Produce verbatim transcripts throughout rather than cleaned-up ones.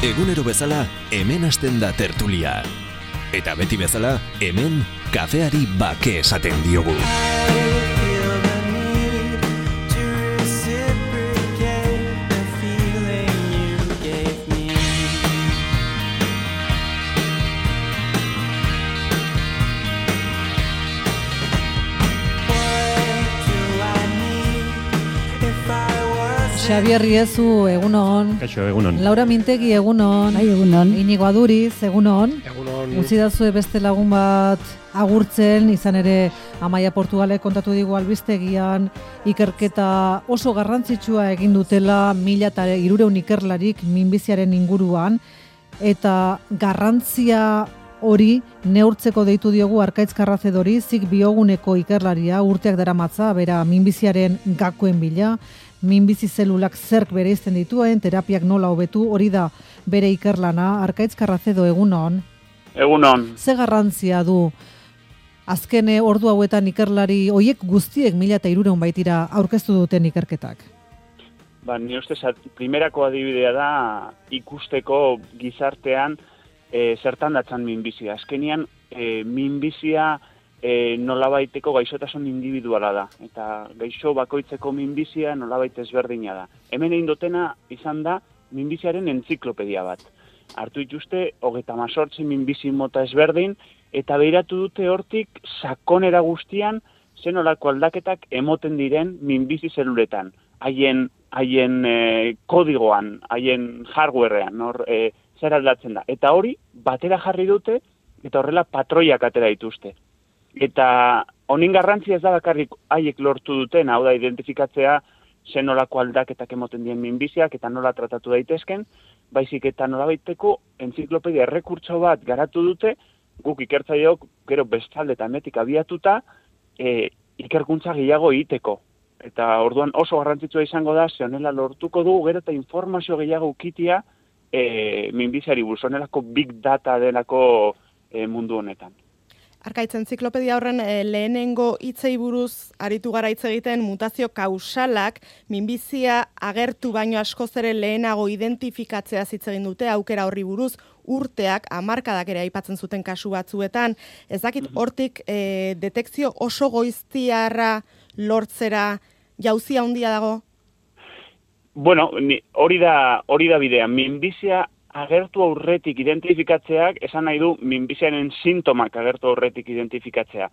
Egunero bezala, hemen hasten da tertulia. Eta beti bezala, hemen kafeari bake esaten diogu. Xabier Riezu, egunon. Kaixo, egunon. Laura Mintegi, egunon. Bai, egunon. Inigo Aduriz, egunon. Egunon. Uzidazue beste lagun bat agurtzen, izan ere Amaia Portugalek kontatu digu albistegian ikerketa oso garrantzitsua egin dutela mila eta hirurehun ikerlarik minbiziaren inguruan, eta garrantzia hori neurtzeko deitu diogu Arkaitz Karrazedori, zik bioguneko ikerlaria, urteak daramatza, bera minbiziaren gakoen bila, minbizi zelulak zerk bereizten dituen, terapiak nola hobetu, hori da bere ikerlana. Arkaitz Karrazedo, egunon. Egunon. Ze garrantzia du azken ordu hauetan ikerlari hoiek guztiek mila eta hirurehun baitira aurkeztu duten ikerketak? Ba, ni ustez, primerako adibidea da ikusteko gizartean e, zertan datzan minbizia. Azkenian, e, minbizia E, nolabaiteko gaixotasun individuala da, eta gaixo bakoitzeko minbizia nolabait ezberdina da. Hemen egin dutena izan da minbiziaren entziklopedia bat. Hartu dituzte, hogeita hamazortzi minbizi mota ezberdin, eta behiratu dute hortik sakonera guztian zenolako aldaketak emoten diren minbizi zeluletan, haien haien e, kodigoan, haien hardwarean, hor e, zer aldatzen da. Eta hori, batera jarri dute, eta horrela patroiak atera dituzte. Eta honin garrantzia ez da bakarrik haiek lortu duten, hau da identifikatzea zenolako aldaketak emoten dien minbiziak eta nola tratatu daitezken, baizik eta nolabaiteko entziklopedia errekurtso bat garatu dute, guk ikertzaileok gero bestalde eta hemetik abiatuta e, ikerkuntza gehiago egiteko. Eta orduan oso garrantzitsua izango da, ze honela lortuko dugu gero eta informazio gehiago ukitia e, minbiziari buruz, honelako big data denako e, mundu honetan. Arkaitz, entziklopedia horren e, lehenengo hitzei buruz aritu gara hitz egiten mutazio kausalak minbizia agertu baino askoz ere lehenago identifikatzea hitz egin dute aukera horri buruz, urteak, hamarkadak ere aipatzen zuten kasu batzuetan. Ez dakit hortik e, detekzio oso goiztiarra lortzera jauzia handia dago? Bueno, ni, hori da hori da bidea. Minbizia agertu aurretik identifikatzeak, esan nahi du minbiziaren sintomak agertu aurretik identifikatzea.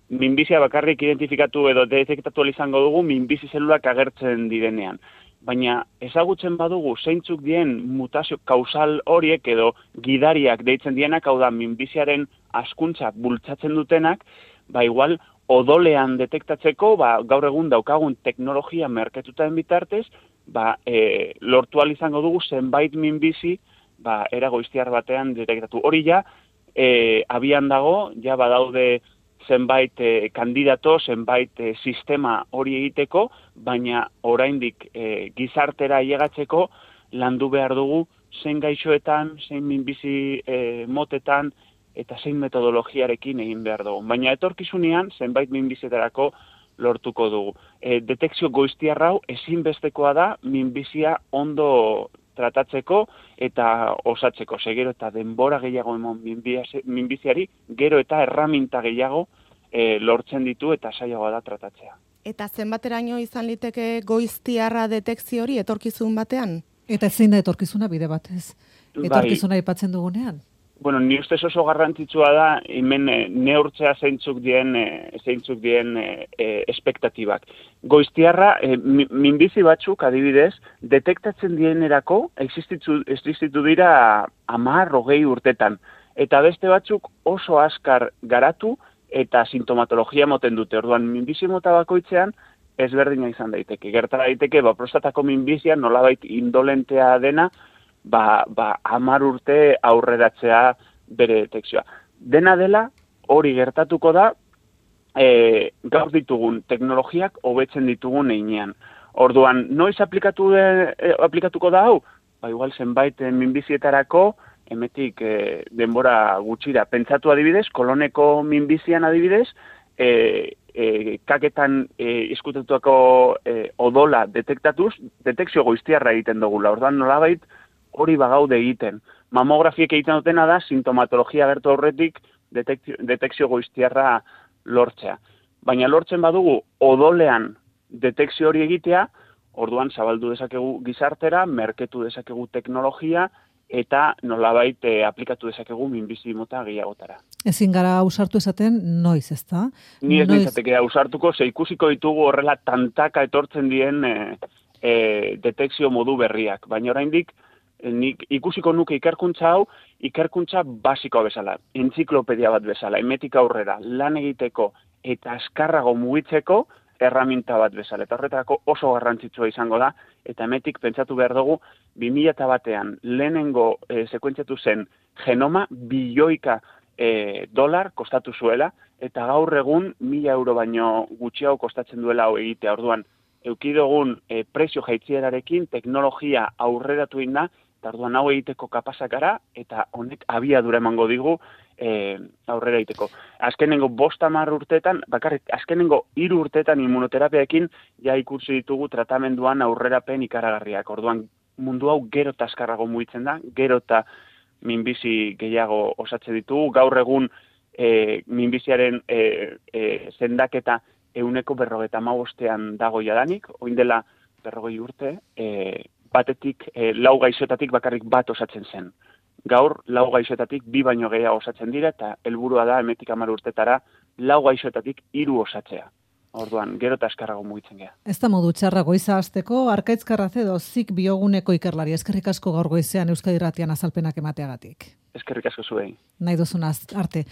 Minbizia bakarrik identifikatu edo detektatu izango dugu minbizi zelulak agertzen direnean. Baina ezagutzen badugu zeintzuk dien mutazio kausal horiek edo gidariak deitzen dienak, hau da minbiziaren hazkuntza bultzatzen dutenak, ba igual odolean detektatzeko, ba, gaur egun daukagun teknologia merkatutaren bitartez, ba, e, lortu ahal izango dugu zenbait minbizi ba, era goiztiar batean detektatu. Hori ja, e, abian dago, ja badaude zenbait e, kandidato, zenbait e, sistema hori egiteko, baina oraindik e, gizartera llegatzeko landu behar dugu zein gaixoetan, zein minbizi e, motetan, eta zein metodologiarekin egin behar dugu. Baina etorkizunean, zenbait minbizetarako lortuko dugu. E, detekzio goiztiar hau ezinbestekoa da minbizia ondo tratatzeko eta osatzeko. Segero eta denbora gehiago emon minbiziari, gero eta erraminta gehiago e, lortzen ditu eta saiagoa da tratatzea. Eta zenbateraino izan liteke goiztiarra detekzio hori etorkizun batean? Eta zein da etorkizuna bide batez? Etorkizuna aipatzen dugunean? Bueno, ni ustez oso garrantzitsua da hemen e, neurtzea zeintzuk dien, e, zeintzuk dien e, e, espektatibak. Goiztiarra, e, minbizi batzuk adibidez, detektatzen dienerako existitu, existitu dira hamar hogei urtetan. Eta beste batzuk oso azkar garatu eta sintomatologia moten dute. Orduan, minbizi mota bakoitzean ezberdina izan daiteke. Gerta daiteke, ba, prostatako minbizia nolabait indolentea dena, ba, ba hamar urte aurreratzea bere detekzioa. Dena dela, hori gertatuko da, e, gaur ditugun teknologiak hobetzen ditugun heinean. Orduan, noiz aplikatu de, e, aplikatuko da hau? Ba, igual zenbait minbizietarako, emetik e, denbora gutxira. Pentsatu adibidez, koloneko minbizian adibidez, e, e, kaketan e, izkutetuako e, odola detektatuz, detekzio goiztiarra egiten dugula. Orduan, nolabait, hori bagaude egiten. Mamografiek egiten dutena da, sintomatologia agertu aurretik detekzio, detekzio goiztiarra lortzea. Baina lortzen badugu odolean detekzio hori egitea, orduan zabaldu dezakegu gizartera, merketu dezakegu teknologia, eta nolabait eh, aplikatu dezakegu minbizi mota gehiagotara. Ezin gara ausartu esaten noiz, ezta? Ni ez Noiz- nintzateke ausartuko, ze ikusiko ditugu horrela tantaka etortzen dien e, e, detekzio modu berriak. Baina oraindik e, nik ikusiko nuke ikerkuntza hau, ikerkuntza basikoa bezala, entziklopedia bat bezala, emetik aurrera, lan egiteko eta askarrago mugitzeko erraminta bat bezala. Eta horretarako oso garrantzitsua izango da, eta emetik pentsatu behar dugu, bi mila batean lehenengo e, sekuentziatu zen genoma bilioika e, dolar kostatu zuela, eta gaur egun mila euro baino gutxiago kostatzen duela hau egitea. Orduan, eukidogun e, prezio jaitzierarekin teknologia aurreratu inda, eta orduan hau egiteko kapazak gara, eta honek abiadura emango digu e, aurrera egiteko. Azkenengo bost hamar urteetan, bakarrik azkenengo hiru urteetan immunoterapiaekin ja ikusi ditugu tratamenduan aurrerapen ikaragarriak. Orduan mundu hau gero eta azkarrago mugitzen da, gero eta minbizi gehiago osatzen ditugu. Gaur egun e, minbiziaren e, e, zendaketa euneko berrogeta hamabostean dago jadanik, oin dela berrogei urte, e, batetik, e, lau gaixotatik bakarrik bat osatzen zen. Gaur, lau gaixotatik bi baino gehiago osatzen dira, eta helburua da emetik hamar urtetara lau gaixotatik hiru osatzea. Orduan, gero eta askarrago mugitzen gea. Ez da modu txarra goiza hasteko, Arkaitz Karracedo zik bioguneko ikerlari. Eskerrik asko gaur goizean Euskadi Irratian azalpenak emateagatik. Eskerrik asko zuei. Nahi duzunaz arte.